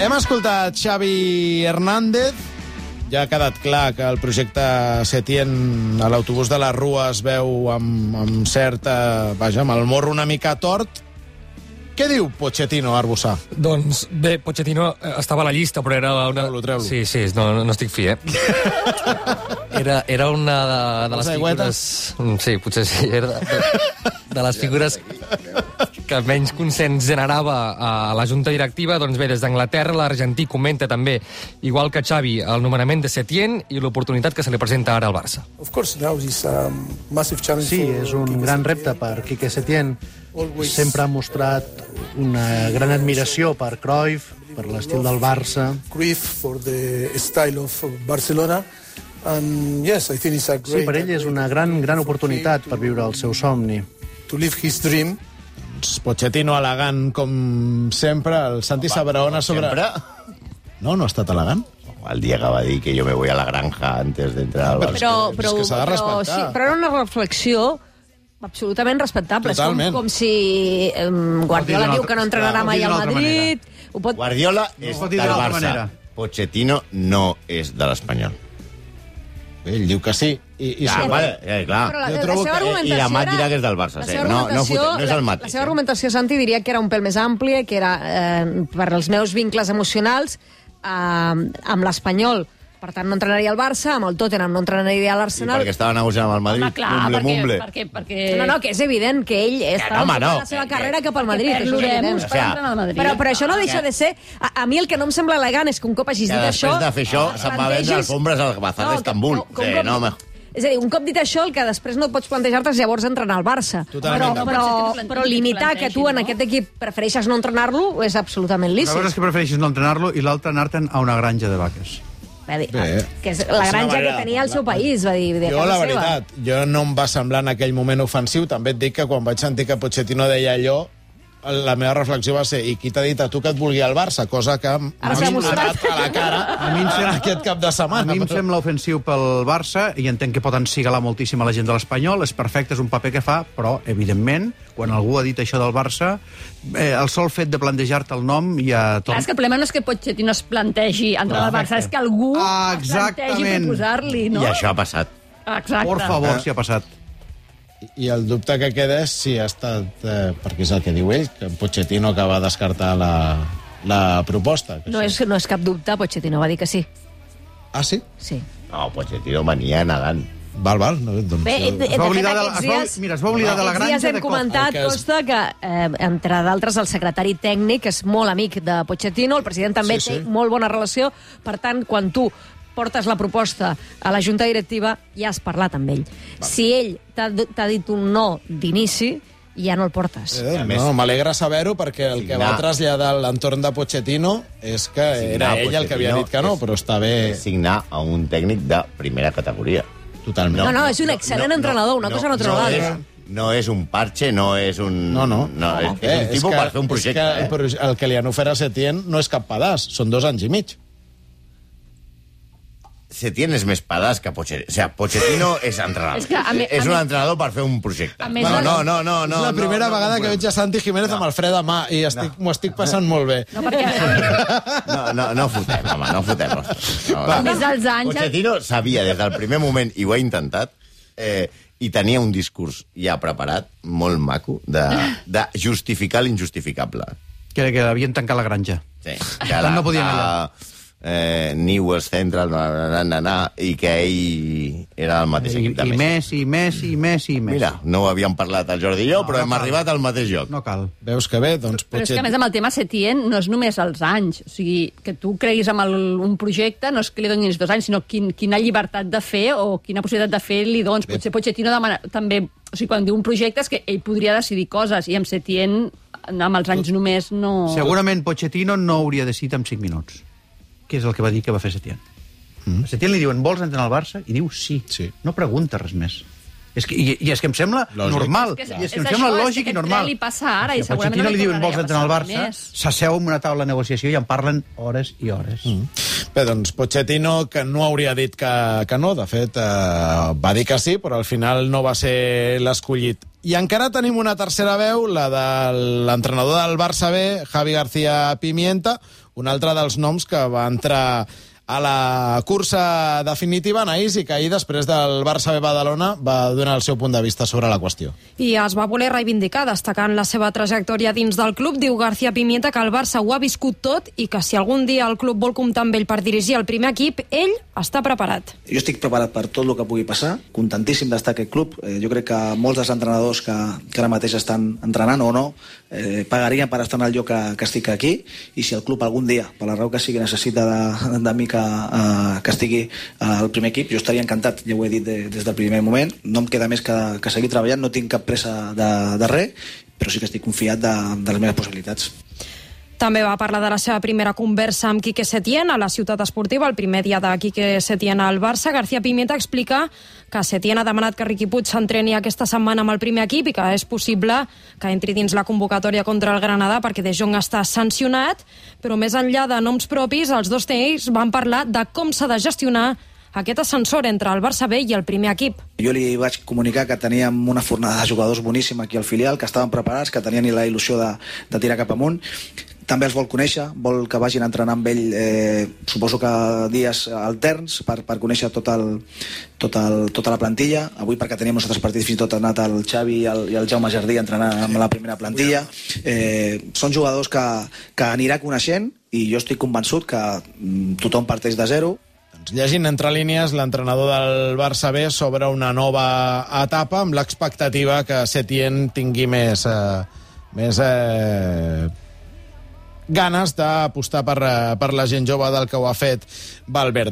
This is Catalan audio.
Hem escoltat Xavi Hernández. Ja ha quedat clar que el projecte Setién a l'autobús de la Rua es veu amb certa... Vaja, amb el morro una mica tort. Què diu Pochettino, Arbussà? Doncs bé, Pochettino estava a la llista, però era una... Treu-lo. Sí, no estic fi, Era una de les figures... Sí, potser sí. Era de les figures que menys consens generava a la junta directiva. Doncs bé, des d'Anglaterra, l'argentí comenta també, igual que Xavi, el nomenament de Setién i l'oportunitat que se li presenta ara al Barça. Sí, és un gran repte per Quique Setién. Sempre ha mostrat una gran admiració per Cruyff, per l'estil del Barça. Sí, per ell és una gran oportunitat per viure el seu somni. Pochettino elegant, com sempre. El Santi Sabraona sobre... No ha estat elegant? El dia que va dir que yo me voy a la granja antes de entrar al Barça. És que s'ha de respectar. Sí, però era una reflexió absolutament respectable. Totalment. És com si Guardiola diu que no entrenarà mai al Madrid. Guardiola és del Barça. Pochettino no és de l'Espanyol. Ell diu que sí. Clar. Però la seva argumentació I la Mat dirà que és del Barça. No és el mateix. La seva argumentació, Santi, diria que era un pèl més àmplia, que era per als meus vincles emocionals amb l'Espanyol. Per tant, no entrenaria al Barça, amb el Tottenham no entrenaria a l'Arsenal. I perquè estava negociant amb el Madrid. Home, clar, mumble. perquè... No, que és evident que ell està fent la seva carrera cap al Madrid. Però això no deixa de ser... A mi el que no em sembla elegant és que un cop hagis dit això... Després de fer això, se'n va vendre alfombres al Bazar d'Istanbul. És a dir, un cop dit això, el que després no et pots plantejar-te és llavors entrenar al Barça. Però limitar que tu en aquest equip prefereixes no entrenar-lo és absolutament lícit. La cosa és que prefereixes no entrenar-lo i l'altre anar-te'n a una granja de vaques. Que és la granja que tenia al seu país, va dir. Jo, la veritat, no em va semblar en aquell moment ofensiu. També et dic que quan vaig sentir que Pochettino deia allò, la meva reflexió va ser, i qui t'ha dit a tu que et vulgui al Barça? Cosa que m'ha donat a la cara aquest cap de setmana. A mi em sembla ofensiu pel Barça i entenc que pot encigalar moltíssim a la gent de l'Espanyol. És perfecte, és un paper que fa, però, evidentment, quan algú ha dit això del Barça, el sol fet de plantejar-te el nom ja... Clar, és que el problema no és que Pochettino es plantegi entrar al Barça, és que algú es plantegi proposar-li, no? I això ha passat. Exacte. Por favor, si ha passat. I el dubte que queda és si ha estat, perquè és el que diu ell, que Pochettino que va descartar la proposta. No és cap dubte, Pochettino va dir que sí. Ah, sí? Sí. No, Pochettino venia negant. Val. Doncs... Bé, de fet, es va oblidar de la granja. Aquests dies hem comentat, Costa, que, entre d'altres, el secretari tècnic és molt amic de Pochettino, el president també té molt bona relació, per tant, quan tu portes la proposta a la junta directiva, ja has parlat amb ell. Si ell t'ha dit un no d'inici, ja no el portes. M'alegra saber-ho, perquè el que va traslladar l'entorn de Pochettino és que era ell el que havia dit que no, però està bé... Signar a un tècnic de primera categoria. Totalment. No, és un excel·lent entrenador, una cosa no treu l'altra. No és un parche, no és un... No. És un tipus per fer un projecte. El que li han ofert a Setién no és cap pedaç, són 2 anys i mig. Setién és més pedaç que Pochettino. O sigui, Pochettino és entrenador. És un entrenador per fer un projecte. No. És la primera vegada que veig a Santi Jiménez amb el fre de mà i m'ho estic passant molt bé. No fotem, home, no fotem. Pochettino sabia des del primer moment, i ho ha intentat, i tenia un discurs ja preparat, molt maco, de justificar l'injustificable. Que havien tancat la granja. Sí. No podien anar. Newell's Central, i que ell era el mateix equip de Messi. I Messi. Mira, no ho havíem parlat el Jordi i jo, però hem arribat al mateix lloc. No cal. Veus que bé, doncs... Però és que, a més, amb el tema Setién no és només els anys. O sigui, que tu creguis en un projecte no és que li donis 2 anys, sinó quina llibertat de fer o quina possibilitat de fer li dones. Potser Pochettino demana també... O sigui, quan diu un projecte és que ell podria decidir coses, i amb Setién, amb els anys només, no... Segurament Pochettino no hauria decidit en 5 minuts. Que és el que va dir que va fer Setién. A Setién li diuen, vols entrar al Barça? I diu sí. No pregunta res més. I és que em sembla normal. I és que em sembla lògic i normal. Li passa ara, i a Pochettino li diuen, vols entrar al Barça? S'asseu en una taula de negociació i en parlen hores i hores. Bé, doncs Pochettino, que no hauria dit que no, de fet, va dir que sí, però al final no va ser l'escollit. I encara tenim una tercera veu, la de l'entrenador del Barça B, Javi García Pimienta, un altre dels noms que va entrar a la cursa definitiva, Anaïs, i que ahir, després del Barça B Badalona, va donar el seu punt de vista sobre la qüestió. I es va voler reivindicar, destacant la seva trajectòria dins del club. Diu García Pimienta que el Barça ho ha viscut tot i que si algun dia el club vol comptar amb ell per dirigir el primer equip, ell està preparat. Jo estic preparat per tot el que pugui passar, contentíssim d'estar a aquest club. Jo crec que molts dels entrenadors que ara mateix estan entrenant o no, pagarien per estar en el lloc que estic aquí, i si el club algun dia, per la raó que sigui, necessita de mi que estigui al primer equip, jo estaria encantat, ja ho he dit des del primer moment. No em queda més que seguir treballant, no tinc cap pressa de res, però sí que estic confiat de les meves possibilitats. També va parlar de la seva primera conversa amb Quique Setién a la Ciutat Esportiva, el primer dia de Quique Setién al Barça. García Pimienta explica que Setién ha demanat que Riqui Puig s'entreni aquesta setmana amb el primer equip i que és possible que entri dins la convocatòria contra el Granada perquè De Jong està sancionat, però més enllà de noms propis, els dos tècnics van parlar de com s'ha de gestionar aquest ascensor entre el Barça B i el primer equip. Jo li vaig comunicar que teníem una fornada de jugadors boníssima aquí al filial, que estaven preparats, que tenien la il·lusió de tirar cap amunt. També els vol conèixer, vol que vagin a entrenar amb ell, suposo que dies alterns, per conèixer tota la plantilla. Avui, perquè teníem uns altres partits, fins i tot ha anat el Xavi i el Jaume Jardí a entrenar amb la primera plantilla. Són jugadors que anirà coneixent, i jo estic convençut que tothom parteix de zero. Llegint entre línies, l'entrenador del Barça B sobre una nova etapa amb l'expectativa que Setién tingui més ganes d'apostar per la gent jove del que ho ha fet Valverde.